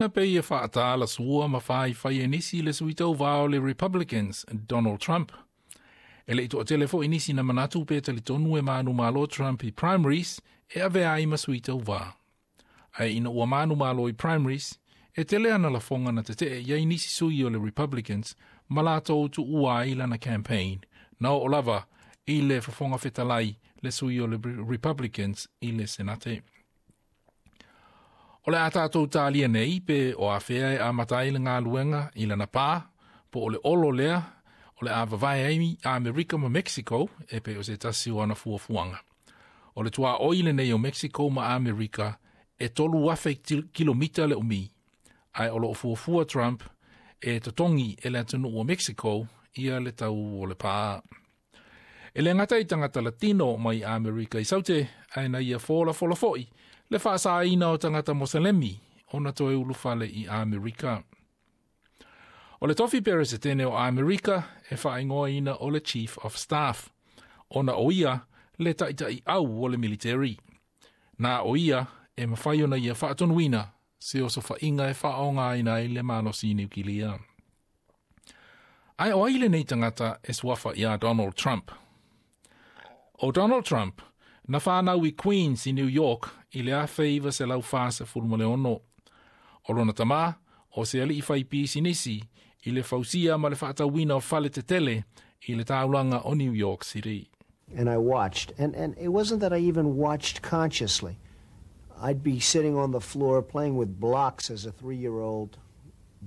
Na pei e fa'ataala ma faifai e nisi le sui tauvā o le Republicans, Donald Trump. E le'i to'atele fo'i nisi na manatu pe talitonu e manumalo Trump i primaries e avea ai ma sui tauvā. Ae ina ua manumalo i primaries, e tele ana lafoga na tete'e i ai nisi sui o le Republicans ma latou tu'ua ai lana campaign, na o'o lava i le fofoga fetalai le sui o le Republicans i le Senate. O le a tātou tālia nei pe o afea e amata ai le galuega i lana pā, po o le olo lea, o le a vavae ai Amerika ma Mexico e pei o se tasi o ana fuafuaga. O le tuaoi lenei o Mexico ma Amerika e 3,000 kilomita le umi. Ae o loo fuafua Trump e totogi e le atunuu o Mexico ia le tau o le pā. E le gata i tagata Latino mai Amerika i Saute, ae na ia folafola fo'i le faasaina o tagata Moselemi ona toe ulufale i Amerika. O le tofi peresetene o Amerika e faaigoaina o le Chief of Staff, ona o ia le taʻitaʻi au o le military. Na o ia e mafai ona ia faatonuina se osofaʻiga e faaaogaina ai le malosi niukilia. Ae o ai lenei tagata e suafa iā Donald Trump? O Donald Trump, na whānau i Queens i New York i le 1946. O lona tamā, o se ali'i fai pisinisi i le fausia ma le faatauina o fale tetele i le taulaga o New York City. And I watched, and it wasn't that I even watched consciously. I'd be sitting on the floor playing with blocks as a 3-year-old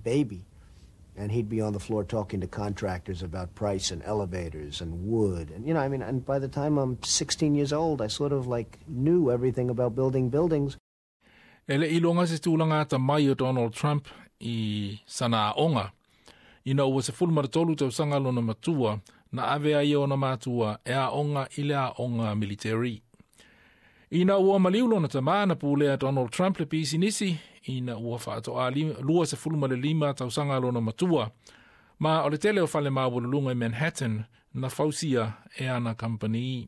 baby, and he'd be on the floor talking to contractors about price and elevators and wood. And, I mean, and by the time I'm 16 years old, I sort of like knew everything about building buildings. E le'i iloga se tulaga atamai o Donald Trump i sana aoga. Ina ua 13 tausaga lona matua, na ave ai ona matua e aoga i le aoga military. Ina ua maliu lona tamā na pulea Donald Trump le pisinisi, ina ua faatoa 25 tausaga lona matua, ma o le tele o fale maualuluga i Manhattan na fausia e ana kampani.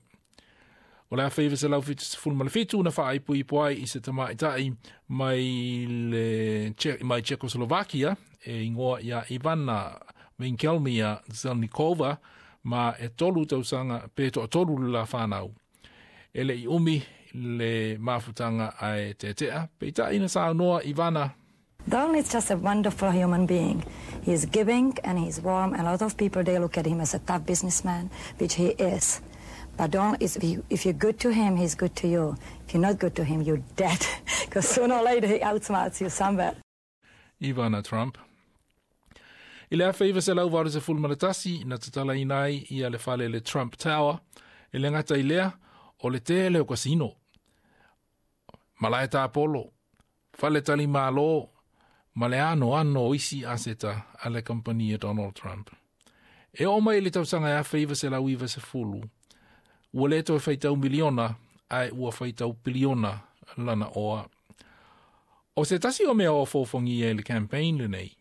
O le 1977 na faaipoipo ai i se tamaʻitaʻi mai le mai Czechoslovakia e igoa ia Ivana Winkelmia Zelnikova ma e 3 tausaga pe toatolu le la whanau. E le'i umi le mafutaga ae tetea, peitai na saunoa Ivana. Donald is just a wonderful human being. He is giving and he's warm, and a lot of people, they look at him as a tough businessman, which he is. But Donald is, if you're good to him, he's good to you. If you're not good to him, you're dead. Because sooner or later he outsmarts you somewhere. Ivana Trump. I le 1981 na tatalaina ai ia le fale le Trump Tower, e le gata i lea o le tele o kasino. Malae tapolo, fale tali malo, ma le anoano o isi aseta a le kampani Donald Trump. E oo mai i le tausaga e 1990, ua le toe faitau miliona, ae ua faitau piliona lana oa. O se tasi o mea o fofogia i le campaign lenei,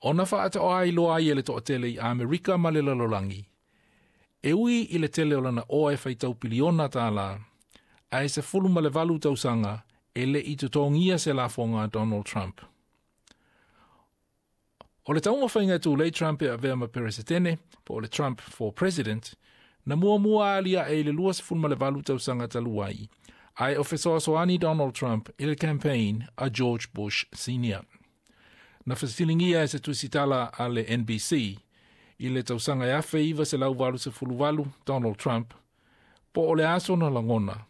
ona faatoa ai loa ai e le toatele i Amerika ma le lalolagi. E ui i le tele o lana oa e faitau piliona tālā, ae 18 tausaga e le'i totogia se lafoga a Donald Trump. O le taumafaiga e tulei Trump e avea ma peresetene, po o le Trump for President, na muamua alia'e i le 28 tausaga talu ai, ae o fesoasoani Donald Trump i le campaign a George Bush Senior. Na fesiligia e se tusitala a le NBC i le tausaga e 1988 Donald Trump, po o le a sona lagona,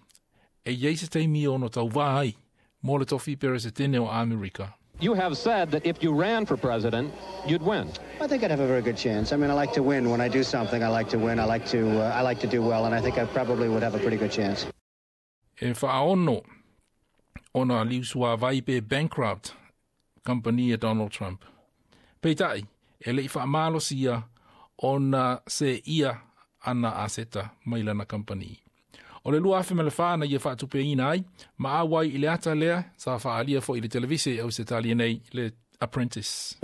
e iai se taimi ono tauvā ai mo le tofi peresetene o Amerika. You have said that if you ran for president, you'd win. I think I'd have a very good chance. I mean, I like to win. When I do something, I like to win. I like to do well, and I think I probably would have a pretty good chance. E faaono ona liusuāvai pe bankrupt kampani e Donald Trump. Peitai, e le'i faamalosia ona se ia ana aseta mai lana kampani. O le 2004 na ia faatupeina ai, ma auai i le ata lea, sa faaalia fo'i i le televise au se talia nei le Apprentice.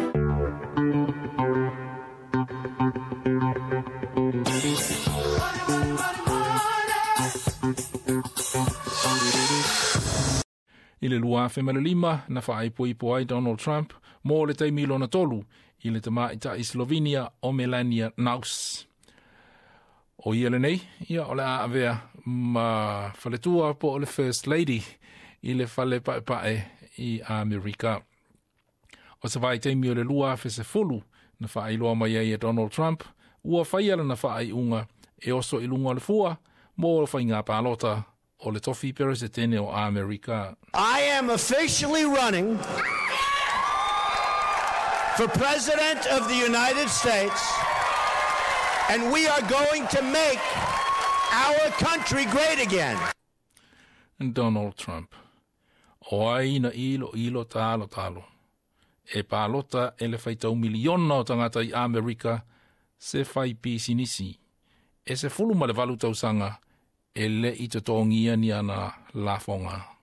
I le 2005 na faaipoipo ai Donald Trump mo le taimi lona tolu i le tamaitaʻi Slovenia o Melania Knauss. O ia lenei, ia o le a avea ma faletua po o le First Lady i le fale paepae i Amerika. O se vaitaimi o le 2010 na faailoa mai ai e Donald Trump ua faia lana faaiuga e oso i luga o le fua mo le faiga palota o le tofi peresetene o Amerika. I am officially running for President of the United States, and we are going to make our country great again. Donald Trump. O ai na ilo ilo talo talo. E palota e le faitau miliona o tagata i Amerika se fai pisinisi. E 18 tausaga e le i totogia ni ana lafoga.